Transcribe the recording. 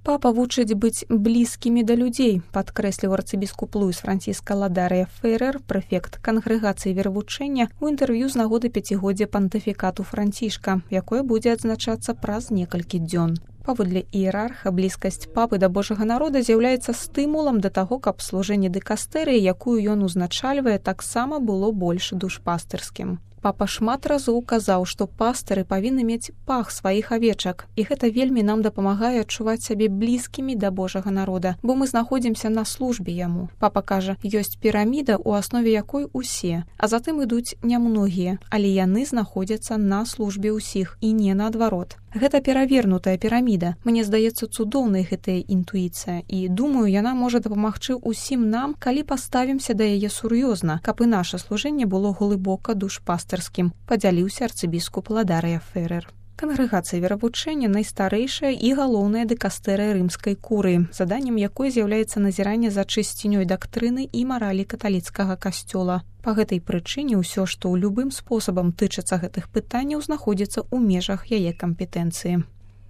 Папа вучыць быць блізкімі да людзей, падкрэсліў арцыбіскуп Луіс Франціска Ладарыя Феррер, прэфект кангрэгацыі веравучэння, у інтэрв'ю з нагоды 5-годдзя пантыфікату Францішка, якое будзе адзначацца праз некалькі дзён. Паводле іерарха, блізкасць папы да Божага народа з'яўляецца стымулам да таго, каб служэнне дыкастэрыі, якую ён узначальвае, таксама было больш душпастырскім. Папа шмат разоў казаў, што пастыры павінны мець пах сваіх авечак, і гэта вельмі нам дапамагае адчуваць сябе блізкімі да Божага народа, бо мы знаходзімся на службе яму. Папа кажа, ёсць піраміда, у аснове якой усе, а затым ідуць нямногія, але яны знаходзяцца на службе ўсіх і не наадварот. Гэта перавернутая піраміда. Мне здаецца цудоўнай гэтая інтуіцыя, і думаю, яна можа дапамагчы ўсім нам, калі паставімся да яе сур'ёзна, каб і наша служэнне было глыбока душпастырскім, падзяліўся арцыбіскуп Ладарыя Феррер. Кангрэгацыя веравучэння найстарэйшая і галоўная дыкастэрыя рымскай курыі, заданнем якой з'яўляецца назіранне за чысцінёй дактрыны і маралі каталіцкага касцёла. Па гэтай прычыне ўсё, што ў любым спосабам тычыцца гэтых пытанняў, знаходзіцца ў межах яе кампетэнцыі.